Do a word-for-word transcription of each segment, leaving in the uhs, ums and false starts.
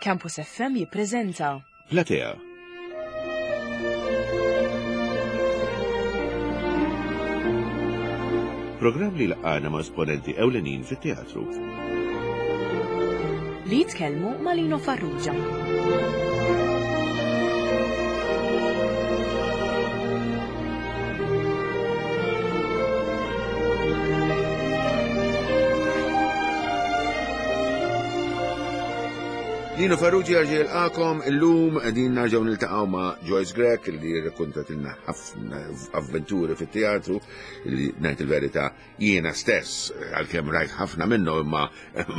Campus F M jippreżenta Platea. Programm li jlaqqagħna ma' esponenti ewlenin fit-teatru. Li jitkellmu ma' Lino Farrugia. Lino Farrugia jerġa' jilqagħkom. Illum qegħdin nerġgħu niltaqgħu ma' Joyce Grech, li rrakkontatilna ħafna avventuri fit-teatru li, ngħid il-verità, jiena stess, għalkemm rajt ħafna minnhom, imma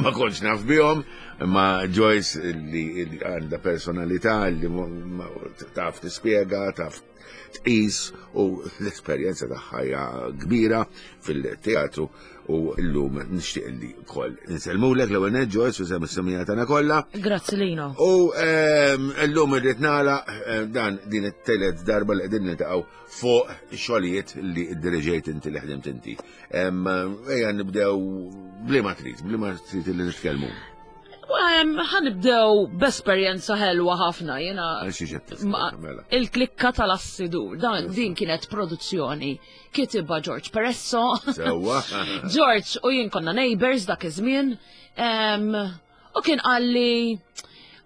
ma kontx naf bihom. Imma Joyce li li għandha personalità li ma- taf tispjega, taf tqis, u l-esperjenza tagħha hija kbira fil-teatru, u llum nixtieq li wkoll insellmulek l-ewwel nett, Joyce, u semmi s-semija tagħna kollha. Grazzi, Lino. U ehm, llum irrid nagħlaq eh, dan din it-telet darba li qegħdin niltaqgħu fuq xogħlijiet li ddiriġejt inti, li ħdimt inti. Em, Ejja nibdew bliema trid, bliema trid li nitkellmu. Ħa nibdew b'esperjenza ħelwa ħafna, jena Għal xi ġed ma- mela. Il-Klikka tal-Assidur. Dan din kienet produzzjoni kitibha George Peresso. Sewwa. George u jien konna neighbors dak iż-żmien. Em, U kien qalli,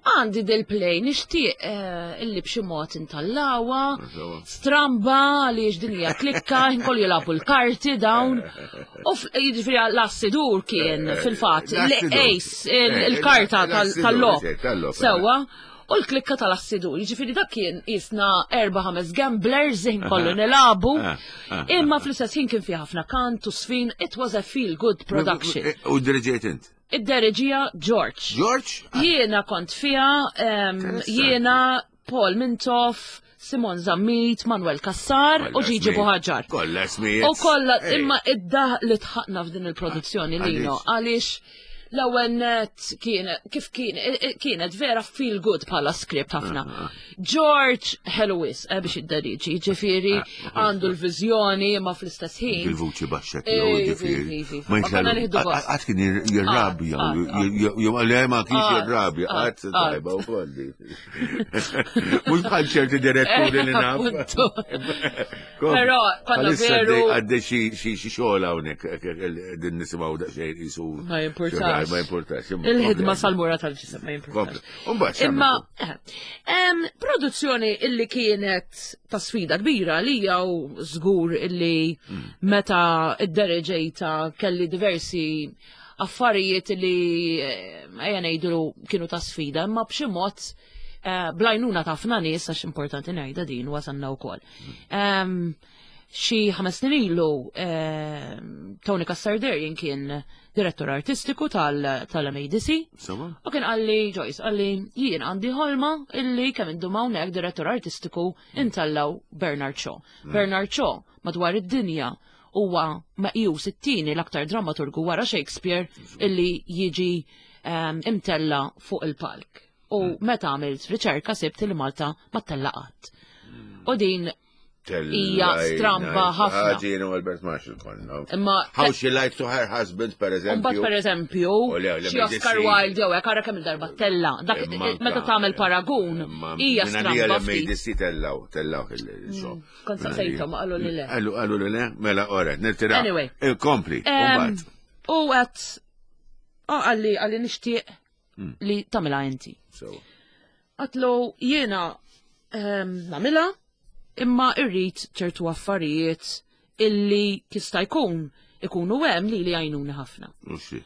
"Għandi dil-play, nixtieq eh, illi b'xi mod intellgħuha, Sewwa. stramba li din hija klikka, kollu jilagħbu l-karti dawn." U f- jiġifieri l-assidur kien fil-fatt L-assidur. l-ace, Eh, il-karta l-assidur, tal-logħob. eh, tal-logħob, Sewwa. U l-Klikka tal-Assidur, jiġifieri dak kien jisna erba' ħames gamblers ħin kollu nilagħbu. Ah, ah, Imma fl-istess ħin kien fi ħafna kant u sfin, it was a feel good production. U ddiriġejt int? Idderieġieha George. George? Jiena kont fiha, em, Interessanti. jiena, Paul Mintoff, Simon Zammit, Manuel Cassar u Kollha Gigi smijiet. Buhaġar. Kollha smijiet. U kollha, Ej. imma id-daħk li dħakna f'din il-produzzjoni, Lino, għaliex l-ewwel net kien kif kien kienet vera feel good bħala script ħafna. George ħelu wisq eh, biex idderiġi, ġifieri għandu l-viżjoni, imma fl-istess ħin. Il-vuċi baxxa Eh, tiegħu, vi, ġifieri. vi, vi. Ma Ma konna nieħdu gost. Għad kien jirrabja, Ah, ah, jew le, ma kienx Ah, jirrabja, ah, għad ah. tajba u kolli. Mhux bħal ċerti diretturi li naf. Appuntu. Però konna veru- Għaddej xi xi xi xogħol hawnhekk din nisimgħu daqsxejn qisu. Ma jimpurtax. Ma jimpurtax. Il-ħidma sal-mura tal-ġisem ma jimpurtax. Umbagħad Imma eh, em, produzzjoni illi kienet ta' sfida kbira li u żgur illi meta idderiġejtha kelli diversi affarijiet li eh, ejja ngħidu kienu ta' sfida, imma b'xi mod eh, bl-għajnuna ta' ħafna nies, għax importanti ngħidha din, wasanna wkoll. Em, Xi ħames snin ilu em, Tony Cassar Darien kien direttur artistiku tal- tal-M A D C. Sewwa? U kien qalli, "Joyce," qalli, "jien għandi ħolma illi kemm indum hawnhekk direttur artistiku intellgħu Bernard Shaw." Bernard Shaw madwar id-dinja huwa meqjus it-tieni l-aktar dramaturgu wara Shakespeare illi jiġi um, imtella fuq il-palk. U meta għamilt riċerka sibt li Malta ma tella qatt. U din hija stramba ħafna. Ħaġin u Albert Marshall konna. Imma How She Lied to Her Husband, per eżempju. Mbagħad, per eżempju, U le, le, xi Oscar M A D C. Wilde jew hekk, ara kemm il-darba tella. Dak Imma meta anka- tagħmel paragun Imma hija minn għalija stramba ftit. l-M A D C tellgħu, tellgħu il-show. Kont saqsejthom, qalu li le. Qalu, qalu li le, mela oret, nirtira. Anyway. Kompli, Em, umbagħad. U għedt, oh, qalli, qalli, "Nixtieq Mm. li tagħmilha inti." So, Għedtlu, "Jiena em, nagħmilha, imma irrid ċertu affarijiet illi jista' jkun ikunu hemm li li jgħinuni ħafna." Oh shit.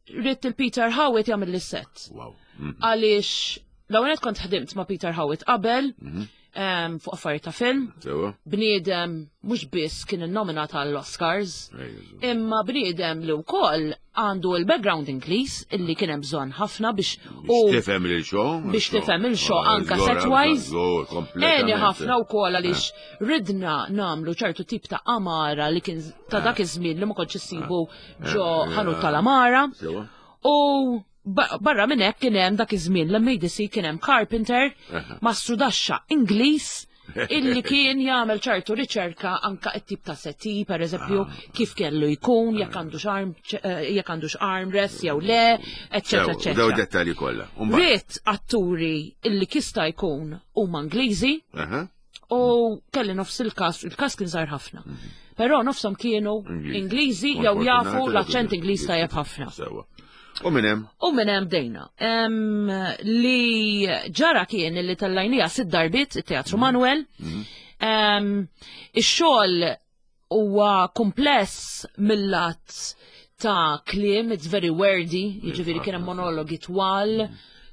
Ridt il-Peter Howitt jagħmel l-set. Wow. Mm. Għaliex l-ewwel kont ħdimt ma' Peter Howitt qabel Mhm. em, fuq affarijiet ta' film. Sewwa? Bniedem mhux biss kien innominat għall-Oscars, Ejja, imma bniedem li wkoll għandu il-background Ingliż illi kien hemm bżonn ħafna biex u Biex tifhem il-show. Biex tifhem il-show anka set-wise. Għeni ħafna wkoll għaliex ridna nagħmlu ċertu tip ta' amara li kien ta' dak iż-żmien li ma kontx issibu ġo ħanut tal-amara. Sewwa? U ba- barra minn hekk kien hemm dak iż-żmien l-M A D C kien hemm carpenter, Aha. mastru daxxa Ingliż. Illi kien jagħmel ċertu riċerka anka t-tip ta' settee, per eżempju, kif kellu jkun, jekk għandux arm, eh, jekk għandux armrest jew le, eċċetera, Sew, daw eċċetera. dettalji kollha. U mbagħad- Ridt atturi illi jista' jkun huma Ingliżi Aha. u kelli nofs il-cast, il-cast kien żgħir ħafna. Però nofshom kienu Ingliżi jew jafu l-aċċent Ingliż tajjeb ħafna. Sewwa. U minn hemm? U minn hemm bdejna. Em, li ġara kien li tellajnieha sitt darbiet it-Teatru Manuel. Em, Ix-xogħol huwa kompless mill-lat ta' kliem, it's very wordy, jiġifieri kien hemm monologi twal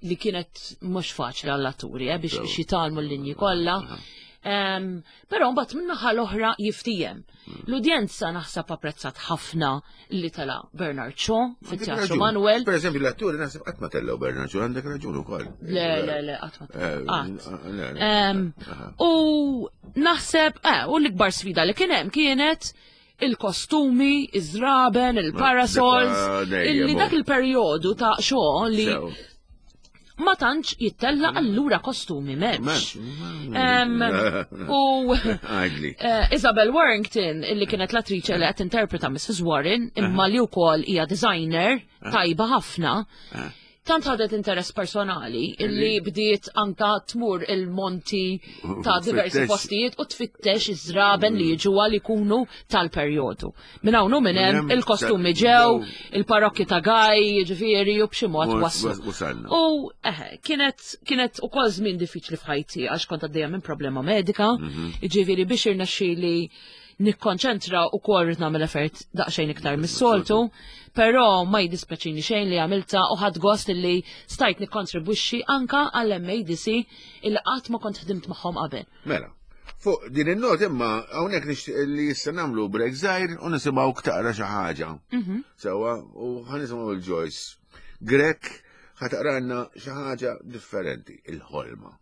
li kienet mhux faċli għall-atturi eh, biex biex jitgħallmu l-linji kollha. Um, Però mbagħad min-naħa l-oħra jiftiehem. L-udjenza naħseb apprezzat ħafna li tela' Bernard Shaw fit-Teatru Raġun. Manuel. Per eżempju, l-atturi naħseb qatt ma tellgħu Bernard Shaw, għandek raġun ukoll. Le, le, le, qatt ma Eh, qatt. le, le. Em, U naħseb, eh, u l-ikbar sfida li kien hemm kienet il-kostumi, iż-żraben, il-parasols, Dak dejjem illi u. dak il-perjodu ta' xogħol li Sew. ma tantx jittella allura kostumi m'hemmx. M'hemmx. Em, U Għidli. eh, Isabel Warrington, illi kienet l-attriċe li qed interpreta Missus Warren, imma li wkoll hija designer tajba ħafna, tant ħadet interess personali illi bdiet anka tmur il-monti ta' diversi Tfittex. postijiet u tfittex iż-żraben li jiġu għal ikunu tal-perjodu. Minn hawn u minn hemm Minn hemm il-kostumi ta- ġew, il-parokki ta' Gaj, jiġifieri u b'xi mod U- waslu. wasalna. U eħe, kienet kienet ukoll żmien diffiċli f'ħajti għax kont għaddejja minn problema medika, jiġifieri biex irnexxieli nikkonċentra u kol rrid nagħmel effort daqsxejn iktar mis-soltu, però ma jiddispjaċini xejn li għamilta u ħadt gost illi stajt nikkontribwixxi anka għall-M A D C illi qatt ma kont ħdimt magħhom qabel. Mela, fuq din il-not imma hawnhekk nixtieq li issa nagħmlu break żgħir u nisimgħu taqra xi ħaġa. Sewwa, u ħa nisimgħu il-Joyce Grech ħa taqralna xi ħaġa differenti, il-ħolma.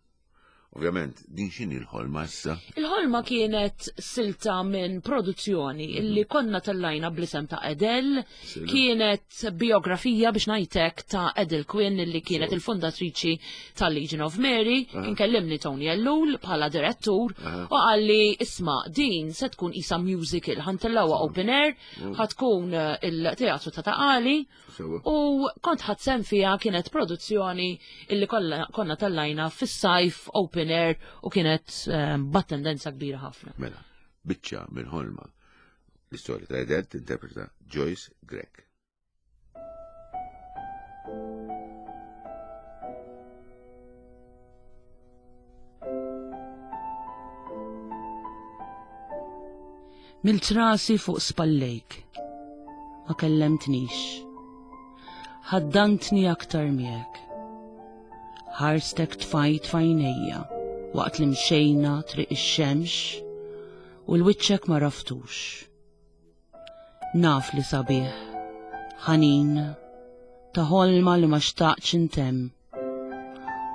Ovvjament, din x'inhi l-ħolma issa? Il-ħolma kienet silta minn produzzjoni illi konna tellajna bl-isem ta' Edel, kienet biografija biex ngħidlek ta' Edel Quinn illi kienet il-fundatriċi tal-Legion of Mary, kien kellimni Tony Ellul bħala direttur u qalli, "Isma', din se tkun isa musical, ħa ntellgħuha open air, ħa tkun eh, il-teatru ta' Ta' Qali," Sewwa. u kont ħadt sehem fiha. Kienet produzzjoni illi kollha- konna tellajna fis-sajf open air u kienet eh, b'attendenza kbira ħafna. Mela, biċċa minn ħolma. L-istorja ta' Edel tinterpreta Joyce Grech. Milt rasi fuq spallejk. Ma kellemtnix. Ħaddantni aktar miegħek. Ħarstek tfajt f'għajnejja waqt li mxejna triq ix-xemx u l-wiċċek ma għaraftux. Naf li sabiħ, ħanin, ta' ħolma li ma xtaqtx intemm.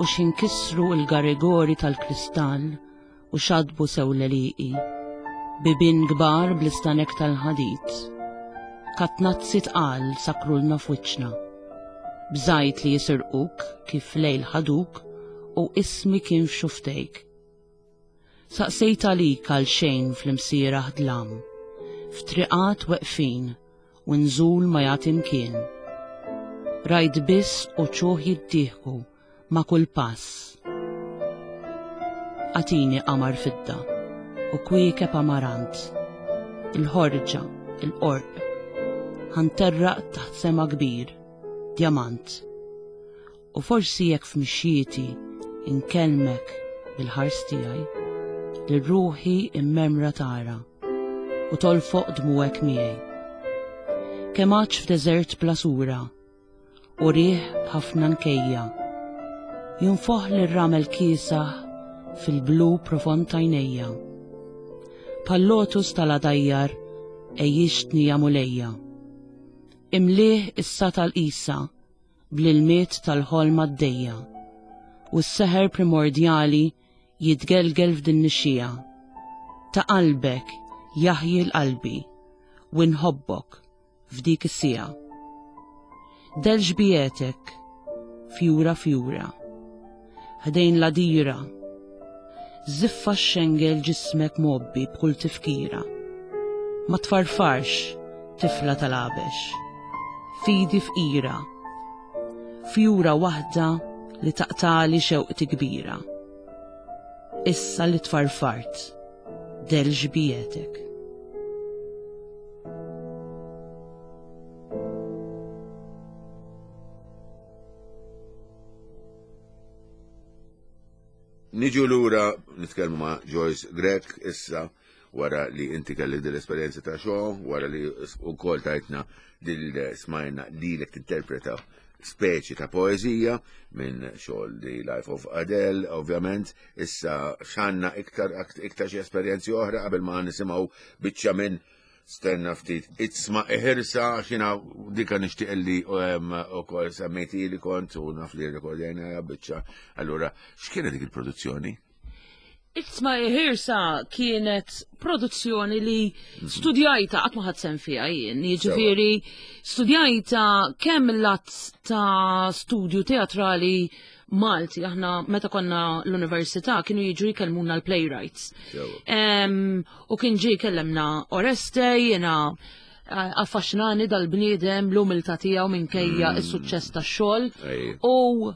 U x'inkisru il-garigori tal-kristall u xadbu sew l-għelieqi. Bibien kbar bl-istanek tal-ħadid. Katnazzi tqal sakrulna f'wiċċna. Bżajt li jisirquk kif lejl ħaduk u ismi kien f'xufftejk. Saqsejt għalik għal xejn fl-imsieraħ dlam, f'triqat weqfin u nżul ma jagħti mkien. Rajt biss uċuħ jiddieħku ma' kull pass. Agħtini qamar fidda u kwiekeb amarant, il-ħorġa, il-qorq, ħa nterraq taħt sema kbir, djamant. U forsi jekk f'mixjieti inkellmek bil-ħars tiegħi, li ruħi immemra tara u tolfoq dmugħek miegħi. Kemm għadx f'deżert bla sura u riħ b'ħafna nkejja, jinfoħ l-ramel kiesaħ fil-blu profond t'għajnejja. Bħal-lotus tal-għadajjar għejjixtni ja Mulejja. Imlieh is-satal isa bl-ilmiet tal-ħolma d-dejja u s-seħer primordjali jitgelgel f'din nixxija. Ta' qalbek jaħji l-qalbi u nħobbok f'dik is-sija. Del xbietek fjura fjura, ħdejn l-għadira, Żiffa xxengel ġismek mgħobbi b'kull tifkira. Ma tfarfarx, tifla tal-għabex. Fidi fqira. Fjura waħda li taqtali xewqti kbira. Issa li tfarfart, del xbietek. Niġu lura nitkellmu ma' Joyce Grech issa wara li inti kelli din l-esperjenza ta' xogħol, wara li wkoll tajtna dil smajna lilek tinterpreta speċi ta' poeżija minn xogħol The Life of Adele, ovvjament, issa x'għandna iktar iktar xi esperjenzi oħra qabel ma nisimgħu biċċa minn stenna ftit Itzma Iħirsa, xina dika nixtieq li ukoll semmejti li kont u naf li rrekordjajna biċċa. Allura, x'kienet dik il-produzzjoni? Itzma Iħirsa kienet produzzjoni li studjajta qatt ma ħadd sehem fiha jien, jiġifieri studjajta kemm il-lat ta' studju teatrali Malti, aħna meta konna l-università kienu jiġu jkellmuna l-playwrights. U kien ġie jkellemna Oreste, jiena affaxxinani dal-bniedem, l-umiltà tiegħu minkejja s-suċċess tax-xogħol. U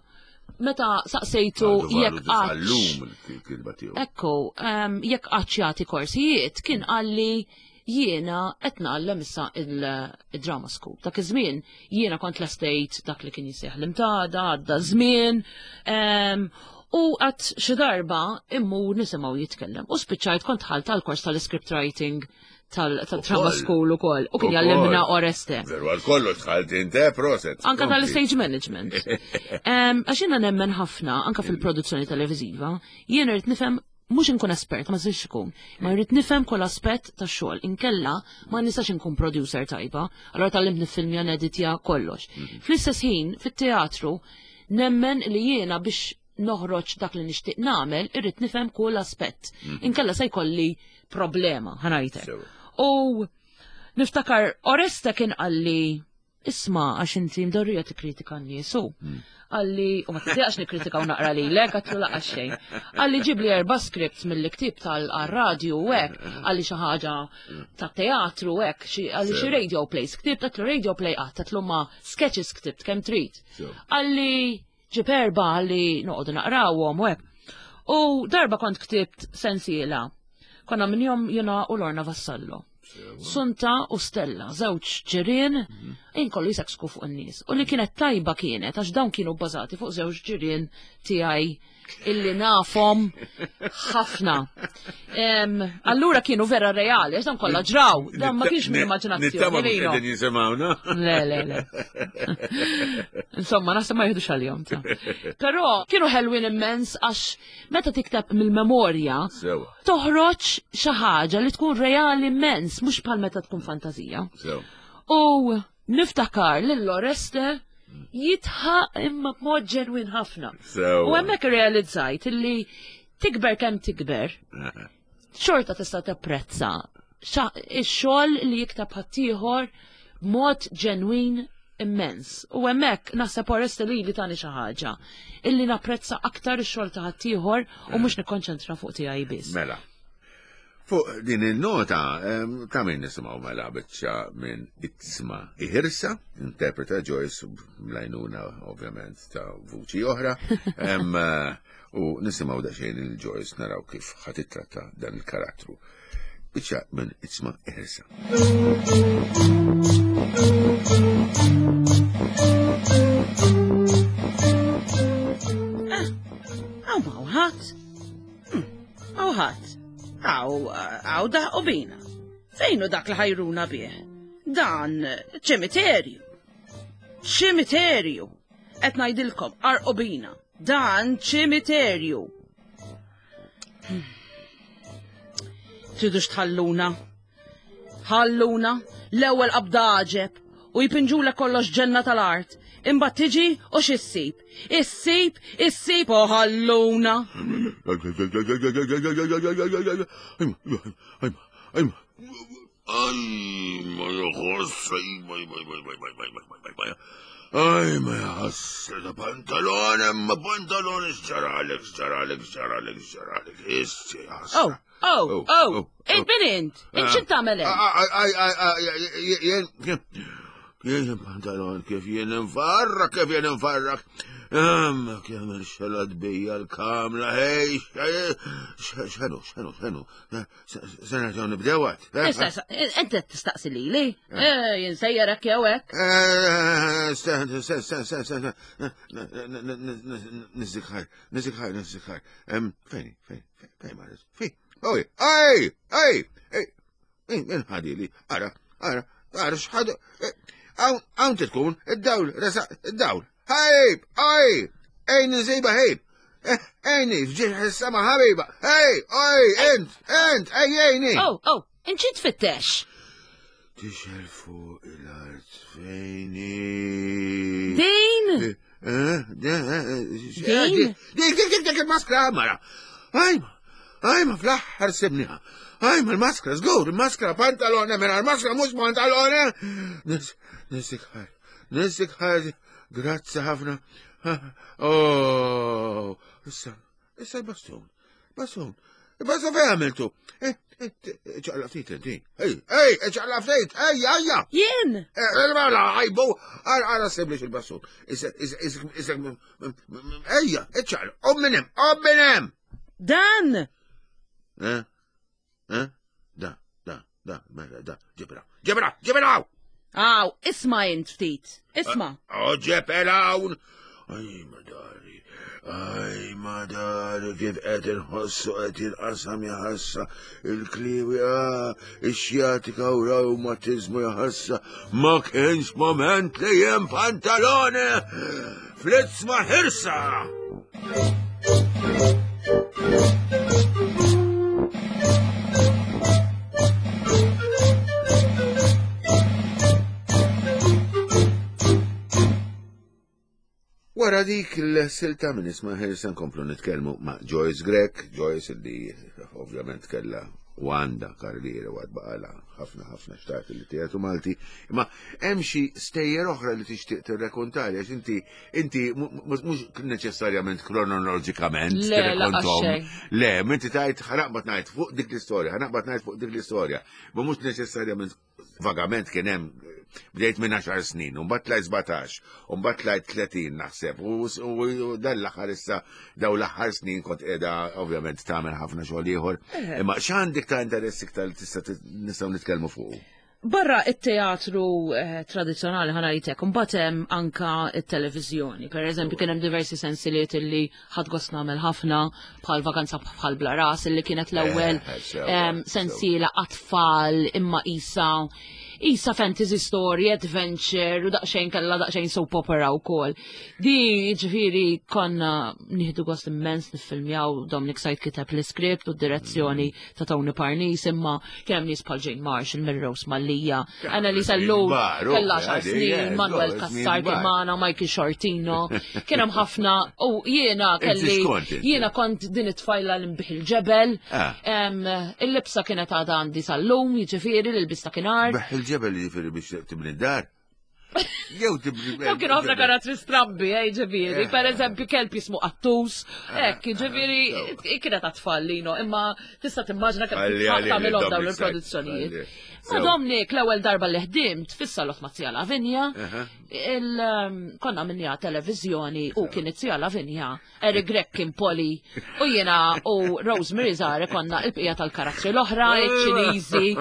meta saqsejtu jekk qatt. Ekku, jekk qatt jagħti korsijiet, kien qalli jiena qed ngħallem issa il-drama school. Dak iż-żmien jiena kont lestejt dak li kien jisejjaħ l-imtada, għadda żmien, u qatt xi darba immur nisimgħu jitkellem. U spiċċajt kont ħalt tal-kors tal-script writing tal-drama school ukoll. U kien jgħallimna Oreste. Veru għal kollox dħalt inte, proset. Anka tal-stage management. Għax jiena nemmen ħafna, anka fil-produzzjoni televiżiva, jiena rrid nifhem mhux inkun espert, ma nistax ikun, ma rrid nifhem kull aspett tax-xogħol. Inkella ma nistax inkun producer tajba, allura tgħallimt niffilmja, neditja kollox. Fl-istess ħin, fit-teatru, nemmen li jiena biex noħroġ dak li nixtieq nagħmel, irrid nifhem kull aspett. Inkella se jkolli problema, ħa ngħidlek. U niftakar Oreste kien qalli, isma' għax inti mdorrija tikkritika n-nies u qalli, u ma tiddejaqx nikkritika u naqra lilek, għatlu laqas xejn. Qalli ġibli erba' scripts mill-ktieb tal-radju u hekk, qalli xi ħaġa ta' teatru u hekk, qalli xi radio plays, ktibt, għatlu radio play qatt, għatlu ma sketches ktibt kemm trid. Qalli ġib erba' qalli noqogħdu naqrawhom u hekk. U darba kont ktibt sensiela. Konna minn jom jiena u Lorna Vassallo. Sunta u Stella, żewġ ġirien, inkollu jiseksku fuq in-nies. U li kienet tajba kienet, għax dawn kienu bbażati fuq żewġ ġirien tiegħi illi nafhom ħafna. Allura kienu vera reali, għax dawn kollha ġraw, dawn ma kienx minn immaġinazzjoni. Nittama mhux qegħdin jisimgħuna. Le, le, le. Insomma, naħseb ma jieħdux għalihom ta. Però kienu ħelwin immens għax meta tikteb mill-memorja toħroġ xi ħaġa li tkun reali immens, mhux bħal meta tkun fantazija. U niftakar lil Oreste jitħaq imma b'mod ġenwin ħafna. U hemmhekk irrealizzajt illi tikber kemm tikber, xorta tista' tapprezza ix-xogħol li jikteb ħaddieħor b'mod ġenwin immens. U hemmhekk naħseb Oreste li li tani xi ħaġa illi napprezza aktar ix-xogħol ta' ħaddieħor u mhux nikkonċentra fuq tiegħi biss. Mela. Fuq din il-nota, ta' min nisimgħu mela biċċa minn Itzma Iħirsa, interpreta Joyce bl-għajnuna ovvjament ta' vuċi oħra, u nisimgħu daqsxejn il-Joyce naraw kif ħa titratta dan il-karattru. Biċċa minn Itzma Iħirsa. Għaw ma' ħadd. Għaw ħadd. Għaw, għaw daħqu bina. Fejnu dak li ħajruna bih? Dan ċimiterju. Ċimiterju. Qed ngħidilkom, arqu bina. Dan ċimiterju. Tridux tħalluna. Ħalluna l-ewwel qabda għaġeb u jpinġula kollox ġenna tal-art. Imbagħad tiġi u x'issib? Issib, issib u ħalluna. Aj, ma jħoss, aj, ma, ma, ma, ma, ma, ma, ma, ma, ma, Aj, ma jħoss, da pantalone, ma pantalone, xġaralek, xġaralek, xġaralek, xġaralek, issi, Oh, oh, oh, int min int? Int x'int tagħmel hemm? Aj, aj, aj, jien, jien pantalon, kif jien nfarrak, kif jien nfarrak. Amma kemm il-xelat bija l-kamra, hej, xenu, xenu, xenu, se nerġgħu nibdew għad. Issa, issa, int qed tistaqsi lili? Eh, jien sejjerek jew hekk. Sten, sten, sten, sten, sten, nizzikħar, nizzikħar, nizzikħar. Fejn, fejn, fejn, marret, fejn, oj, ej, ej, ej, min ħadili, ara, ara, ara, xħadu, għawn titkun, id-dawl, resa, id-dawl. Ħajb, oj, ej, nżiba ħejb. Ejni, fġieħ is-sema ħabiba. Ej, oj, int, int, ej, ejni. Oh, oh, int xi tfittex? Tixel fuq il-art fejni. Din? Eh, Din? Dik, dik, dik, dik il-maskra, mara. Ajma, ajma, fl-aħħar sibniha. Ajma, il-maskra, żgur, il-maskra, pantalone, mela il-maskra mhux pantalone. Nisik ħar, nisik ħar, grazzi ħafna. Oh, issa, issa il-bastun, bastun, il-bastun fejn għamiltu? ċaqla ftit inti. Ej, ej, ċaqla ftit, ej, ejja. Jien? Mela, għajbu, għara siblix il-bastun. Issa, issa, issa, ejja, ċaqla, om minnem, om minnem. Dan? Eh? Eh? Da, da, da, mela, da, ġibra, ġibra, ġibra! Aw, isma' int ftit, isma'. Oġeb elawn! Aj, madari, aj, madari, kif qed inħossu qed jinqasam jaħassa il-kliwi, ah, ix-xjatika u reumatizmu jaħassa, ma kienx moment li jem pantalone, flitz ma ħirsa! Wara dik il-silta minn isma ħirsa nkomplu nitkellmu ma' Joyce Grech, Joyce li ovvjament kella u għandha karriera u għad baqala ħafna ħafna xtaqt li teatru Malti, imma hemm xi stejjer oħra li tixtieq tirrekontali għax inti inti mhux neċessarjament kronoloġikament Le, tirrekontom. laqas xejn. Le, minti tajt ħanaqbad ngħid fuq dik l-istorja, ħanaqbad ngħid fuq dik l-istorja, ma mhux neċessarjament vagament kien hemm bdejt minn għaxar snin, u mbagħad tlajt sbatax, u mbagħad tlajt tletin naħseb, u s-, u, u dan l-aħħar issa daw l-aħħar snin kont qiegħda ovvjament tagħmel ħafna xogħol ieħor. Eh. Imma x'għandek ta' interess iktar li tista' tit-, nistgħu nitkellmu fuq? Barra it-teatru, eh, tradizzjonali ħanajtek, mbagħad hemm anka it-televiżjoni. Per eżempju, kien hemm diversi sensiliet illi ħadd gost nagħmel ħafna, bħal Vakanza bħal Bla Ras, illi kienet l-ewwel, Eh, sewa, em, sewa. sensiela għat-tfal imma isa, isa fantasy story, adventure, u daqsxejn kellha daqsxejn soap opera wkoll. Di ġifieri konna nieħdu gost immens niffilmjaw, Dominic Said kiteb l-iskript u d-direzzjoni ta' Tony Parnis, imma kien hemm nies bħal Jane Marshall, Mary Rose Mallia, Annalisa Ellul, Kbar, kellha u, għaxar għadi, snin, eh, Manuel żgur, Cassar żmien kien kbar. magħna, Michael Shortino, kien hemm ħafna, u jiena Inti kelli, x'kont inti? jiena kont din it-tfajla li nbih il-ġebel, Ah. em, il-libsa kienet għadha għandi sal-lum, jiġifieri l-ilbis ta' kienar. Beħ il-ġebel jiġifieri biex tibni d-dar. Jew tibni Daw kienu ħafna karattri strambi, eh, ġifieri. Eh. Per eżempju, kelb jismu qattus, Eh, hekk, ġifieri, eh, kienet għat-tfal, Lino, imma tista' timmaġina kemm Għalli, għalli, tagħmilhom dawn Dominic Said, il-produzzjonijiet. għalli. Ma Sew. Dominic, l-ewwel darba li ħdimt fis-salott ma' Zija Lavinia, Aha. il, um, konna minnija televiżjoni u kien it-Zija Lavinia, Eric Grech kien Poli, u jiena u Rosemary Zare konna il-bqija tal-karattri l-oħra, iċ-Ċiniżi,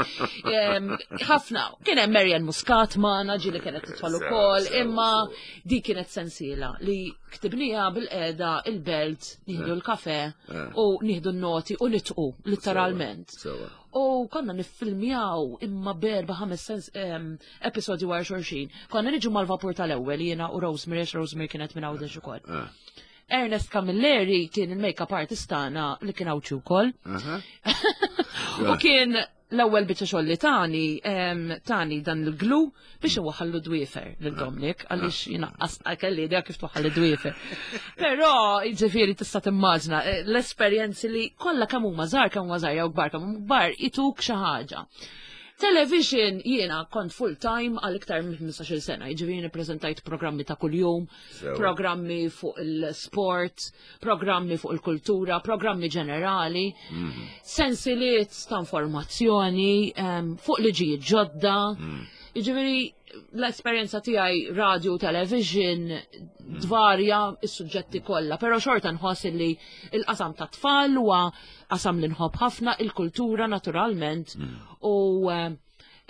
em, ħafna, kien hemm Marian Muscat magħna, ġieli kienet titfal Sew, ukoll, sew, imma sew. di kienet sensiela li ktibnija bil-qeda il-belt, nieħdu l-kafe Eh. u nieħdu n-noti u nitqu, literalment. Sewa. U konna niffilmjaw imma berba ħames sens, em, episodji wara xulxin. Konna niġu mal-vapur tal-ewwel jiena u Rosemary, għax Rosemary kienet minn Għawdex ukoll. Ah. Ernest Camilleri kien il-make-up artist tagħna li kien Għawdxi wkoll. Aha. U kien l-ewwel biċċa xogħol li tani, em, tani dan il-glu biex iwaħħallu dwiefer lil Dominic, għaliex jiena qas kelli idea kif twaħħal id-dwiefer. Però jiġifieri tista' timmaġna, eh, l-esperjenzi li kollha kemm huma żgħar, kemm huma żgħar jew kbar, kemm huma kbar ituk xi ħaġa. Television jiena kont full time għal iktar minn ħmistax-il sena, jiġifieri nippreżentajt programmi ta' kuljum, Sewa. programmi fuq il-sport, programmi fuq il-kultura, programmi ġenerali, sensiliet ta' informazzjoni, em, fuq liġijiet ġodda. Jiġifieri l-esperjenza tiegħi radio, television, dvarja is-suġġetti kollha, però xorta nħoss li il-qasam ta' tfal huwa qasam li nħobb ħafna, il-kultura naturalment u eh,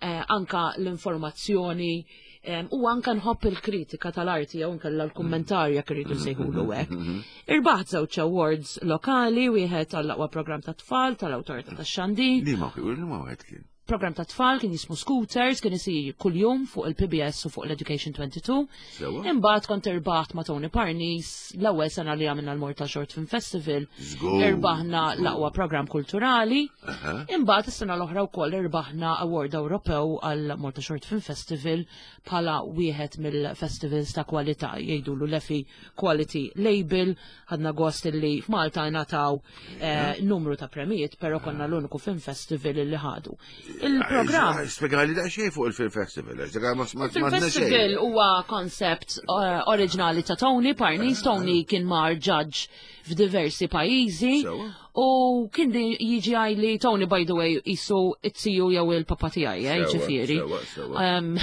eh, anka l-informazzjoni em, u anka nħobb il-kritika tal-arti jew nkella l-kummentarja jekk irridu nsejħulu hekk. Irbaħt żewġ awards lokali, wieħed għall-aqwa programm ta' tfal tal-Awtorità tax-Xandir. Li ma li ma wieħed kien? Program ta' tfal kien jismu Scooters, kien isir kuljum fuq il-P B S u fuq l-Education twenty-two. Sewa. Imbagħad kont irbaħt ma' Tony Parnis l-ewwel sena li għamilna l-Malta Short Film Festival. Żgur. Irbaħna l-aqwa program kulturali. Aha. Imbagħad is-sena l-oħra wkoll irbaħna Award Ewropew għal Malta Short Film Festival bħala wieħed mill-festivals ta' kwalità, jgħidulu l-Effie Quality Label. Ħadna gost li f'Malta ngħataw eh, numru ta' premijiet, però konna l-uniku film festival li ħadu. Il-programm Spjegali daqsxejn fuq il-Film Festival, għax dak ma ma Film ma Festival huwa koncept uh, oriġinali ta' Tony Parnis. Tony kien mar judge f'diversi pajjiżi Sewa. u kien di jiġi għajli Tony, by the way, jisu it-tiju jew il-papa tiegħi, eh, Sewa, ġifieri. sewa, sewa. Um,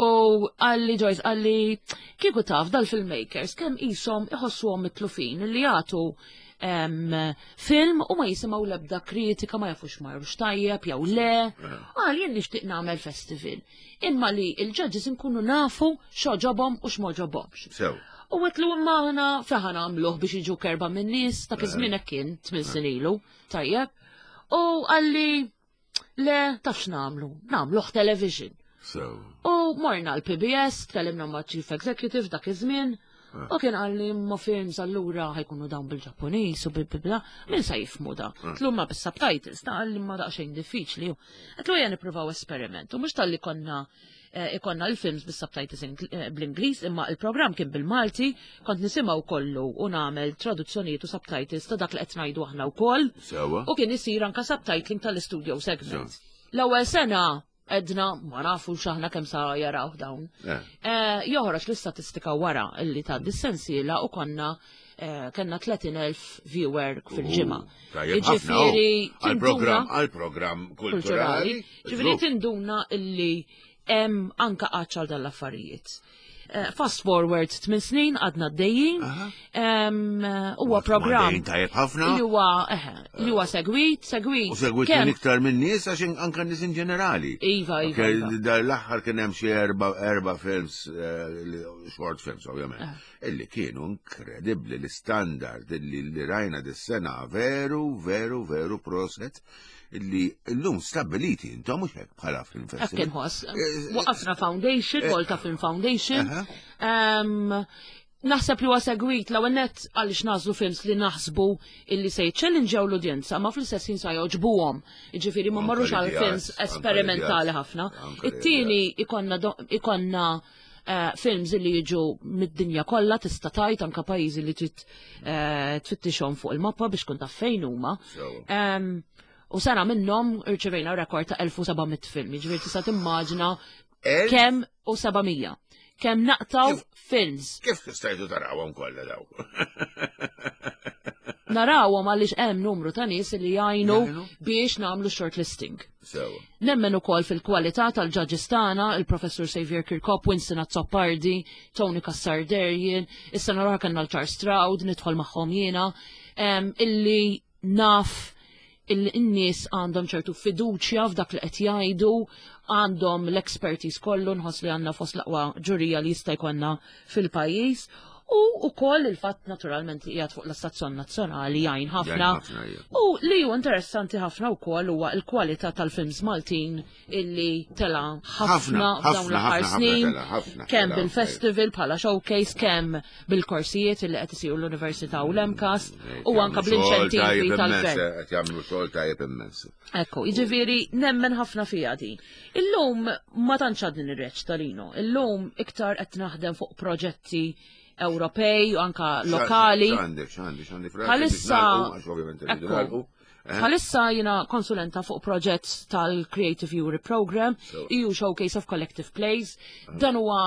u għalli, "Joyce," għalli, "kieku taf dal-filmmakers kemm jisom iħossuhom mitlufin li jagħtu em, film u ma jisimgħu l-ebda kritika, ma jafux marrux tajjeb jew le. Għal jien nixtieq nagħmel festival. Imma li il-judges nkunu nafu x'għoġobhom u x'm'għoġobhomx." Sew. U għedtlu imma aħna fejn nagħmluh biex jiġu kerba minn nies ta' kizmin kien tmien snin ilu, tajjeb. U għalli le, taf x'nagħmlu, nagħmluh television. Sew. U morna l-P B S, tkellimna ma' Chief Executive dak iż-żmien, u kien għalli ma films allura ħa jkunu dawn bil-Ġappuniż u bil-bla, min sa jifhmu da? Għedtlu ma bis-subtitles, ta' għalli ma daqsxejn diffiċli. Għedtlu ejja nippruvaw esperiment, u mhux talli konna eh, ikonna l-films bis-subtitles Ingl- eh, bl-Ingliż, imma il-programm kien bil-Malti, kont nisimgħu kollu u nagħmel traduzzjonijiet u subtitles ta' dak li qed ngħidu aħna wkoll. Sewa. U kien isir anka subtitling tal-studio segment. L-ewwel sena edna ma nafu x'aħna kemm sa jaraw dawn. Eh. Eh, Joħroġ l-istatistika wara illi ta' dis-sensiela u konna eh, kellna tletin elf viewer fil-ġimgħa. Tajjeb ħafna. Jiġifieri Għal-program, tinduna għal-program kulturali. Ġifieri tinduna illi hemm anka għaċċal dal-affarijiet. Eh, Fast forward tmien snin għadna d-dejjin. Huwa program Dejjin tajjeb ħafna. li huwa eħe, li huwa segwit, segwit. U segwit kemm- minn iktar minn nies għax anka nies in ġenerali. Iva, iva, Ok, iva. Dar l-aħħar kien hemm xi erba' erba' films, eh, li- short films ovvjament, Eh. illi kienu inkredibbli l-standard illi li rajna dis-sena, veru, veru, veru proset illi llum stabiliti intom mhux hekk bħala film Hekk festival. inħoss. Eh, Waqafna foundation, Volta Film Foundation. Aha. Em, Naħseb li huwa segwit l net għaliex nagħżlu films li naħsbu illi se jiċċellinġew l-udjenza, ma fl-istess ħin sa jogħġbuhom. Jiġifieri ma Anka marrux għal l-ideat, films anka esperimentali l-ideat, ħafna. Anka It-tieni ikonna do- ikonna eh, films li jiġu mid-dinja kollha, tista' tajt anka pajjiżi li trid eh, tfittixhom fuq il-mappa biex kun taf fejn huma. Sewa. Em, U sena minnhom irċevejna rekord ta' elf u seba' mitt film, jiġifieri tista' timmaġina El- kemm u seba' mija. Kemm naqtaw Kif- films. Kif stajtu tarawhom kollha daw? Narawhom għaliex hemm numru ta' nies li jgħinu Jgħinu? biex nagħmlu shortlisting. Sewa. Nemmen ukoll fil-kwalità tal-judges tagħna, il-Professur Xavier Kirkop, Winston Azzopardi, Tony Cassar Derjen, is-sena l-oħra kellna l-Charles Stroud, nidħol magħhom jiena, em, illi naf il-nies għandhom ċertu fiduċja f'dak li qed jgħidu, għandhom l-expertise kollu, nħoss li għandna fost l-aqwa ġurija li jista' jkollna fil-pajjiż. U ukoll il-fatt naturalment li qiegħed fuq l-istazzjon nazzjonali jgħin ħafna. Jgħin ħafna, ija. U li hu interessanti ħafna wkoll huwa l-kwalità tal-films Maltin illi tela ħafna Ħafna, f'dawn l-aħħar ħafna, ħafna snin. tela, ħafna Kemm tela, bil-festival bħala showcase, kemm bil-korsijiet illi qed isiru l-Università u l-MCAST u anka bl-inċentivi tal-gvern. Qed jagħmlu xogħol tajjeb immens. Ekku, jiġifieri nemmen ħafna fija di. Illum ma tantx għadni nirreċta, Lino. Illum iktar qed naħdem fuq proġetti Ewropej u anka lokali. X'għandek, x'għandek, x'għandek? Bħalissa- Għax ovvjament irridu Ekku. nagħlqu. Bħalissa jiena konsulenta fuq proġett tal-Creative Europe Program, E U Showcase of Collective Plays. Dan huwa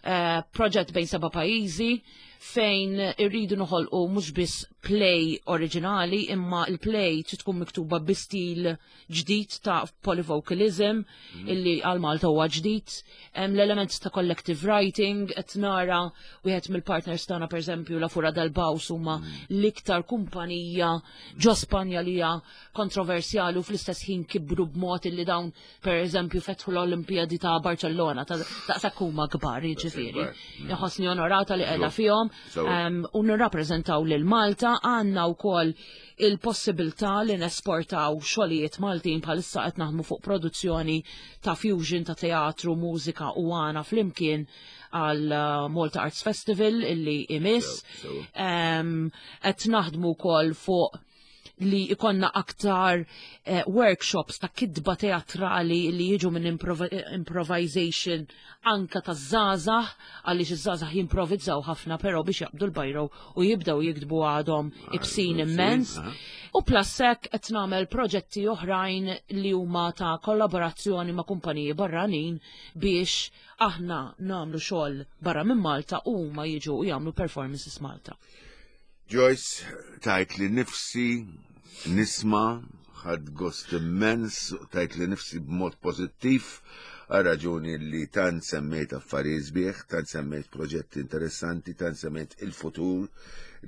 eh, proġett bejn seba' pajjiżi fejn irridu noħolqu mhux biss play oriġinali, imma il-play trid tkun miktuba bi stil ġdid ta' polyvocalism illi għal Malta huwa ġdid. Hemm l-element ta' collective writing, qed nara wieħed mill-partners tagħna, pereżempju La Fura del Baus, huma l-iktar kumpanija ġo Spanja li hija kontroversjali u fl-istess ħin kibru b'mod illi dawn, pereżempju, fetħu l-Olimpijadi ta' Barcellona, ta' daqshekk huma kbar, jiġifieri. Inħossni onorata li qiegħda fihom So- um, u nirrappreżentaw lil Malta. Għandna wkoll il-possibilità li nesportaw xogħlijiet Maltin. Bħalissa qed naħdmu fuq produzzjoni ta' fusion ta' teatru, mużika u għana flimkien għal uh, Malta Arts Festival illi imiss. So- so. Um, qed naħdmu wkoll fuq li ikonna aktar eh, workshops ta' kidba teatrali li jiġu minn improv improvisation anka ta' żgħażagħ, għaliex iż-żgħażagħ jimprovizzaw ħafna, però biex jaqbdu l-bajro u jibdew jiktbu għadhom ibsin ibsin, immens. aha. U plus hekk qed nagħmel proġetti oħrajn li huma ta' kollaborazzjoni ma' kumpaniji barranin biex aħna nagħmlu xogħol barra minn Malta u huma jiġu u jagħmlu performances Malta. Joyce, tajt li nifsi nisma', ħadt gost immens, tajt li nifsi b'mod pozittiv, għal raġuni li tant semmejt affarijiet sbieħ, tant semmejt proġetti interessanti, tant semmejt il-futur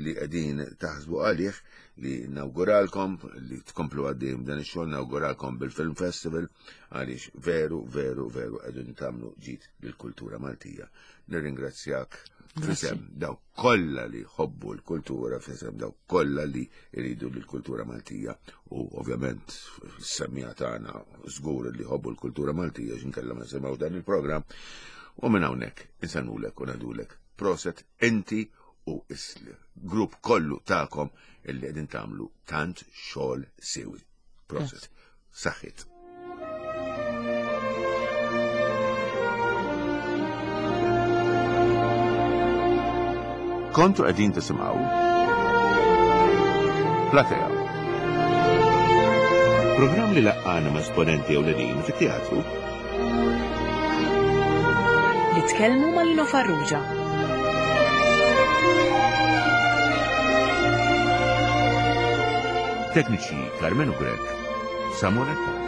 li qegħdin taħsbu għalih, li nawguralkom li tkomplu għaddejjem dan ix-xogħol, nawguralkom bil-Film Festival, għaliex veru, veru, veru qegħdin tagħmlu ġid lill-kultura Maltija. Nirringrazzjak f'isem dawk kollha li jħobbu l-kultura, f'isem dawk kollha li jridu l-kultura Maltija u ovvjament s-semmiegħa tagħna żgur li jħobbu l-kultura Maltija, x'inkella ma semgħu dan il-programm. U minn hawnhekk insellmulek u ngħidulek proset inti u il-grupp kollu tagħkom illi qegħdin tagħmlu tant xogħol siewi. Proset. Saħħit. Kontu qegħdin tisimgħu Platea. Programm li laqqana ma' esponenti ewlenin fit-teatru. Li tkellmu ma' Lino Farrugia. Tekniċi Carmenu Grech, Samuel Attard.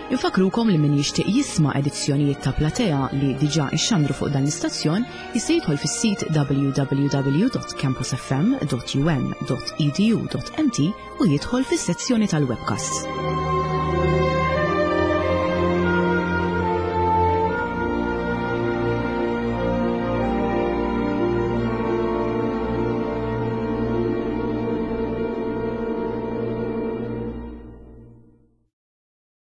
Infakrukom li min jixtieq jisma' edizzjonijiet ta' Platea li diġà ixxandru fuq dan l-istazzjon jista' jidħol fis-sit w w w dot campusfm dot u m dot e d u dot m t u jidħol fis-sezzjoni tal-webcast.